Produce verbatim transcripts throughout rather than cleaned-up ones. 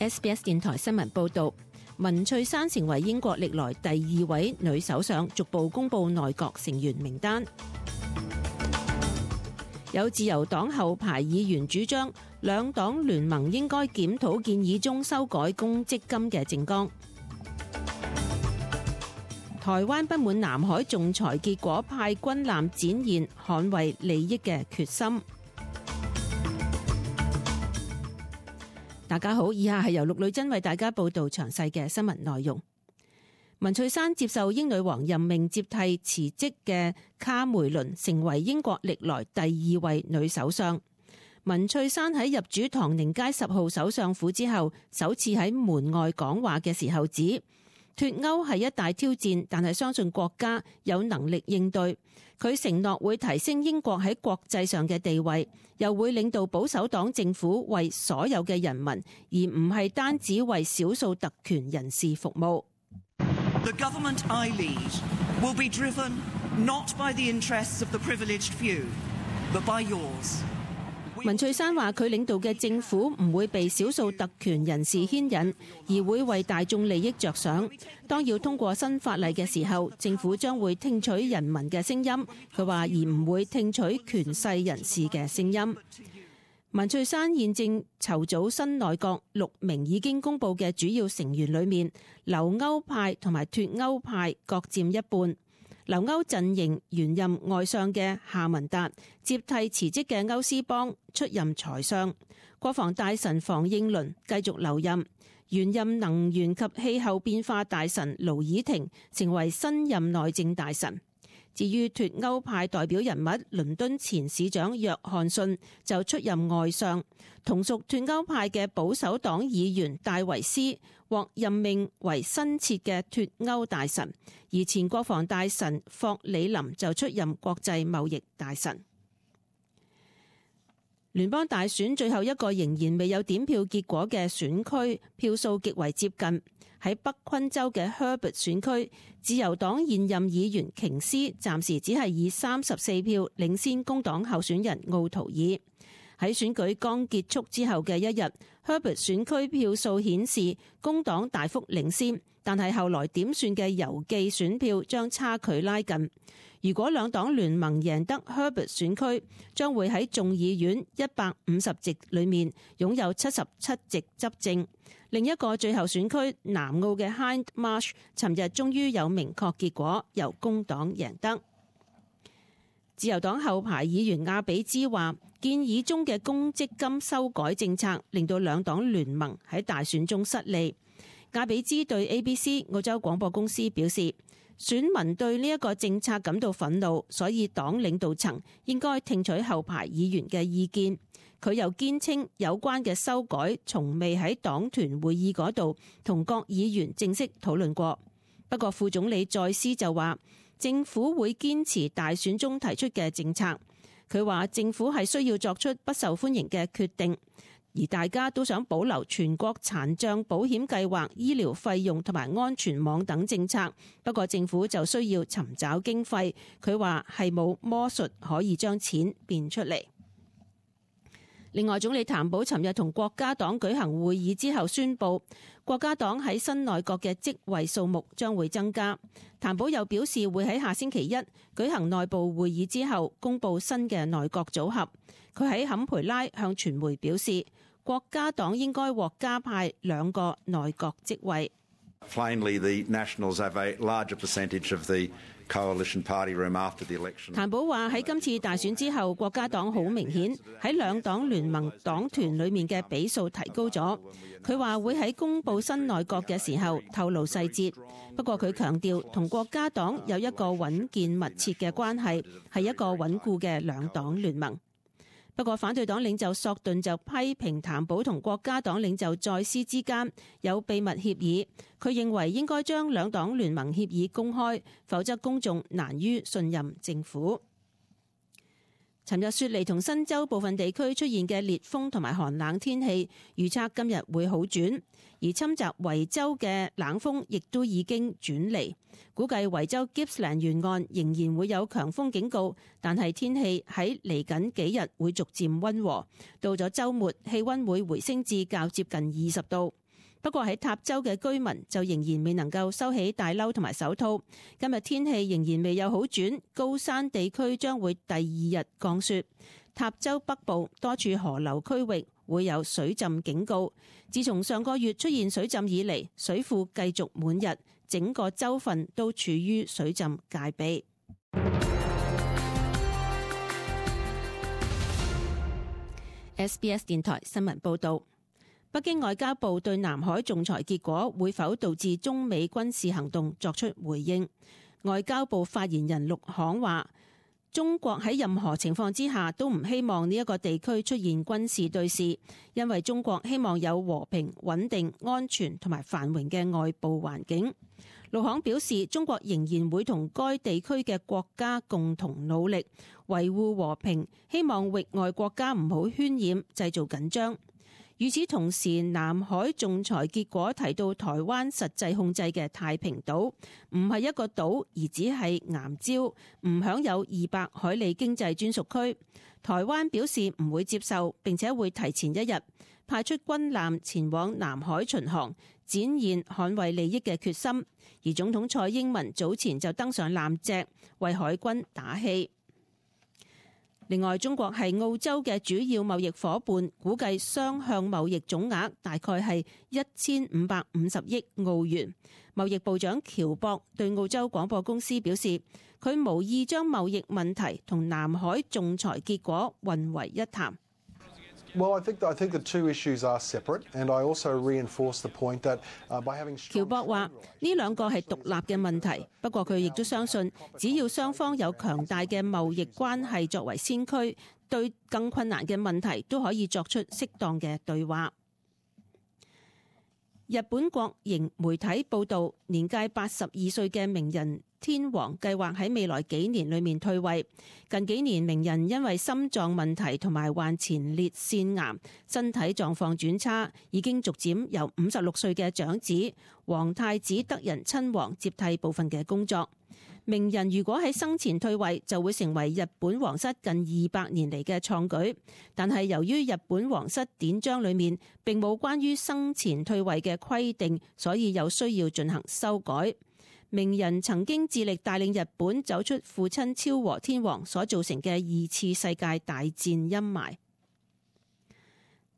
S B S 電台新聞報道，文翠珊成為英國歷來第二位女首相，逐步公布內閣成員名單。有自由黨後排議員主張，兩黨聯盟應該檢討建議中修改公積金嘅政綱。台灣不滿南海仲裁結果，派軍艦展現捍衛利益嘅決心。大家好，以下係由陸女真為大家報道詳細嘅新聞內容。文翠珊接受英女王任命接替辭職嘅卡梅倫，成為英國歷來第二位女首相。文翠珊喺入主唐寧街十號首相府之後，首次喺門外講話嘅時候指，脫歐係一大挑戰，但係相信國家有能力應對。佢承諾會提升英國喺國際上嘅地位，又會領導保守黨政府為所有嘅人民，而唔係單止為少數特權人士服務。The government I lead will be driven not by the interests of the privileged few, but by yours. 文翠珊話：佢領導嘅政府唔會被少數特權人士牽引，而會為大眾利益着想。當要通過新法例嘅時候，政府將會聽取人民嘅聲音。佢話而唔會聽取權勢人士嘅聲音。文翠珊現正籌組新內閣，六名已經公布嘅主要成員裏面，留歐派同埋脫歐派各佔一半。留歐陣營原任外相嘅夏文達接替辭職嘅歐斯邦出任財相，國防大臣房應倫繼續留任，原任能源及氣候變化大臣盧爾廷成為新任內政大臣。至於脫歐派代表人物倫敦前市長約翰遜就出任外相，同屬脫歐派嘅保守黨議員戴維斯獲任命為新設嘅脫歐大臣，而前國防大臣霍里林就出任國際貿易大臣。聯邦大選最後一個仍然未有點票結果嘅選區，票數極為接近。喺北昆州嘅 Herbert 選區，自由黨現任議員瓊斯暫時只係以三十四票領先工黨候選人奧圖爾。喺選舉剛結束之後嘅一日， Herbert 選區票數顯示工黨大幅領先，但係後來點算嘅郵寄選票將差距拉近。如果兩黨聯盟贏得 Herbert 選區，將會喺眾議院一百五十席裏面擁有七十七席執政。另一個最後選區南澳嘅 Hind Marsh， 尋日終於有明確結果，由工黨贏得。自由黨後排議員亞比茲話，建議中嘅公積金修改政策令到兩黨聯盟喺大選中失利。亞比茲對 A B C 澳洲廣播公司表示，選民對呢一個政策感到憤怒，所以黨領導層應該聽取後排議員嘅意見。佢又堅稱有關嘅修改從未喺黨團會議嗰度同各議員正式討論過。不過副總理再斯就話，政府會堅持大選中提出嘅政策。佢話政府係需要作出不受歡迎嘅決定，而大家都想保留全國殘障保險計劃、醫療費用同埋安全網等政策。不過政府就需要尋找經費。佢話係冇魔術可以將錢變出嚟。另外，總理譚寶尋日同國家黨舉行會議之後宣布，國家黨喺新內閣嘅職位數目將會增加。譚寶又表示會喺下星期一舉行內部會議之後公布新嘅內閣組合。佢喺坎培拉向傳媒表示，國家黨應該獲加派兩個內閣職位。Plainly, the Nationals have a larger percentage of the coalition party room after the election. 譚寶話喺今次大選之後，國家黨好明顯喺兩黨聯盟黨團裡面嘅比數提高咗。佢話會喺公布新內閣嘅時候透露細節。不過佢強調同國家黨有一個穩健密切嘅關係，係一個穩固嘅兩黨聯盟。不過反對黨領袖索頓就批評譚寶同國家黨領袖再斯之間有秘密協議，佢認為應該將兩黨聯盟協議公開，否則公眾難於信任政府。尋日雪梨同新州部分地區出現嘅烈風同埋寒冷天氣，預測今日會好轉，而侵襲維州嘅冷風亦都已經轉離。估計維州 Gippsland 沿岸仍然會有強風警告，但係天氣喺嚟緊幾日會逐漸溫和。到咗週末，氣溫會回升至較接近二十度。不過喺塔州嘅居民就仍然未能夠收起大褸同埋手套。今日天氣仍然未有好轉，高山地區將會第二日降雪。塔州北部多處河流區域會有水浸警告。自從上個月出現水浸以嚟，水庫繼續滿溢，整個州份都處於水浸戒備。S B S 電台新聞報道，北京外交部對南海仲裁結果會否導致中美軍事行動作出回應。外交部發言人陸慷話，中國喺任何情況之下都唔希望呢一個地區出現軍事對峙，因為中國希望有和平、穩定、安全同埋繁榮嘅外部環境。陸慷表示，中國仍然會同該地區嘅國家共同努力維護和平，希望域外國家唔好渲染、製造緊張。與此同時，南海仲裁結果提到台灣實際控制嘅太平島唔係一個島，而只係岩礁，唔享有二百海里經濟專屬區。台灣表示唔會接受，並且會提前一日派出軍艦前往南海巡航，展現捍衛利益嘅決心。而總統蔡英文早前就登上艦隻為海軍打氣。另外，中國係澳洲嘅主要貿易夥伴，估計雙向貿易總額大概係一千五百五十億澳元。貿易部長喬博對澳洲廣播公司表示，佢無意將貿易問題同南海仲裁結果混為一談。Well, I think I think the two issues are separate, and I also reinforce the point that by having. 喬博話呢兩個係獨立嘅問題，不過佢亦都相信，只要雙方有強大嘅貿易關係作為先驅，對更困難嘅問題都可以作出適當嘅對話。日本國營媒體報導，年屆八十二歲嘅名人天皇計劃喺未來幾年裏面退位。近幾年，名人因為心臟問題同埋患前列腺癌，身體狀況轉差，已經逐漸由五十六歲嘅長子皇太子德仁親王接替部分嘅工作。名人如果喺生前退位，就會成為日本皇室近二百年嚟嘅創舉。但係由於日本皇室典章裏面並冇關於生前退位嘅規定，所以有需要進行修改。名人曾經致力帶領日本走出父親昭和天皇所造成嘅二次世界大戰陰霾。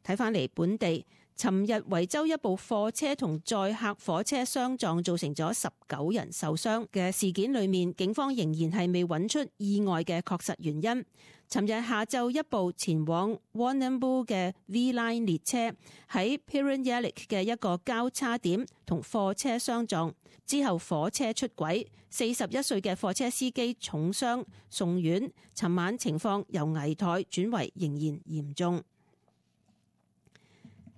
睇返嚟本地，尋日維州一部貨車同載客火車相撞，造成咗十九人受傷嘅事件裏面，警方仍然係未揾出意外嘅確實原因。尋日下晝，一部前往 Warrnambool 嘅 V-Line 列車喺 Pirron-Yallock 嘅一個交叉點同貨車相撞，之後火車出軌，四十一歲嘅貨車司機重傷送院，尋晚情況由危殆轉為仍然嚴重。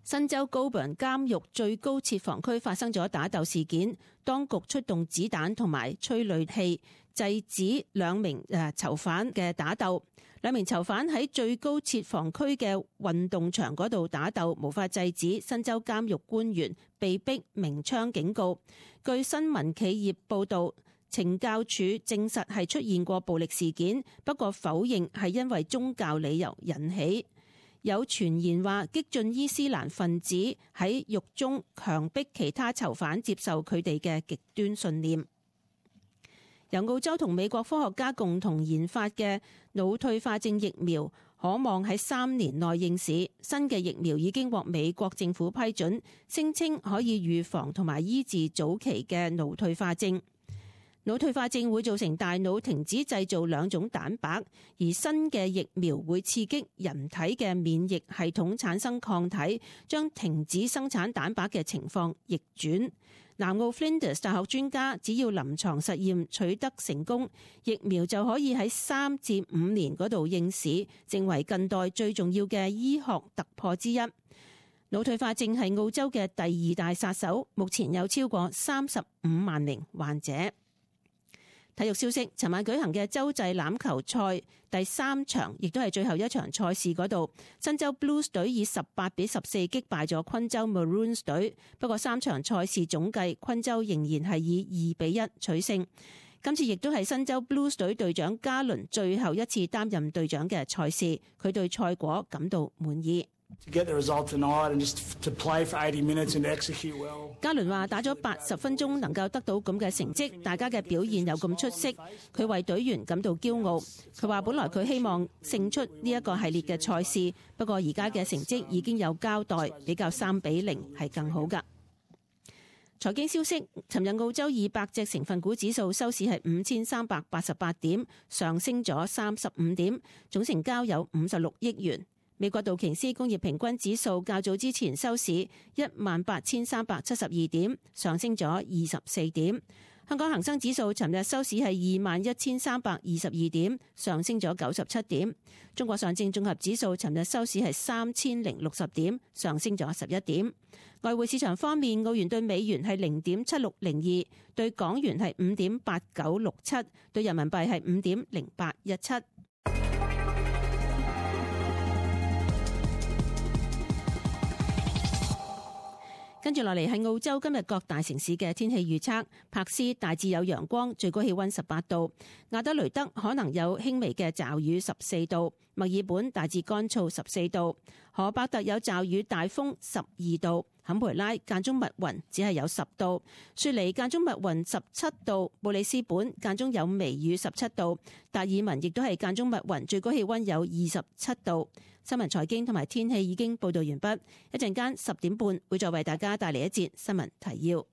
新州高本監獄最高設防區發生咗打鬥事件，當局出動子彈同埋催淚氣制止兩名誒囚犯嘅打鬥。兩名囚犯喺最高設防區嘅運動場嗰度打鬥，無法制止新州監獄官員被逼鳴槍警告。據新聞企業報導，懲教署證實係出現過暴力事件，不過否認係因為宗教理由引起。有傳言話激進伊斯蘭分子喺獄中強迫其他囚犯接受佢哋嘅極端信念。由澳洲同美國科學家共同研發嘅腦退化症疫苗，可望喺三年內應市。新嘅疫苗已經獲美國政府批准，聲稱可以預防同埋醫治早期嘅腦退化症。腦退化症會造成大腦停止製造兩種蛋白，而新嘅疫苗會刺激人體嘅免疫系統產生抗體，將停止生產蛋白嘅情況逆轉。南澳 Flinders 大學專家只要臨床實驗取得成功，疫苗就可以喺三至五年嗰度應市，成為近代最重要嘅醫學突破之一。腦退化症係澳洲嘅第二大殺手，目前有超過三十五萬名患者。體育消息，尋晚舉行嘅洲際欖球賽第三場，亦都係最後一場賽事嗰度，新州 Blues 隊以十八比十四擊敗咗昆州 Maroons 隊。不過三場賽事總計，昆州仍然係以二比一取勝。今次亦都係新州 Blues 隊隊長加倫最後一次擔任隊長嘅賽事，佢對賽果感到滿意。加倫話打咗八十分鐘能夠得到咁嘅成績，大家嘅表現有咁出色，佢為隊員感到驕傲。佢話本來佢希望勝出呢一個系列嘅賽事，不過而家嘅成績已經有交代，比較三比零係更好㗎。財經消息，尋日澳洲二百隻成分股指數收市係五千三百八十八點，上升咗三十五點，總成交有五十六億元。美國道瓊斯工業平均指數較早之前收市一萬八千三百七十二點，上升咗二十四點。香港恒生指數尋日收市係二萬一千三百二十二點，上升咗九十七點。中國上證綜合指數尋日收市係三千零六十點，上升咗十一點。外匯市場方面，澳元對美元係零點七六零二，對港元係五點八九六七，對人民幣係五點零八一七。跟住落嚟係澳洲今日各大城市嘅天氣預測。柏斯大致有陽光，最高氣溫十八度；亞德雷德可能有輕微嘅驟雨，十四度；墨爾本大致乾燥，十四度；荷伯特有驟雨大風，十二度；坎培拉間中密雲，只係有十度；雪梨間中密雲，十七度；布里斯本間中有微雨，十七度；達爾文亦都係間中密雲，最高氣溫有二十七度。新聞財經同埋天氣已經報道完畢，一陣間十點半會再為大家帶嚟一節新聞提要。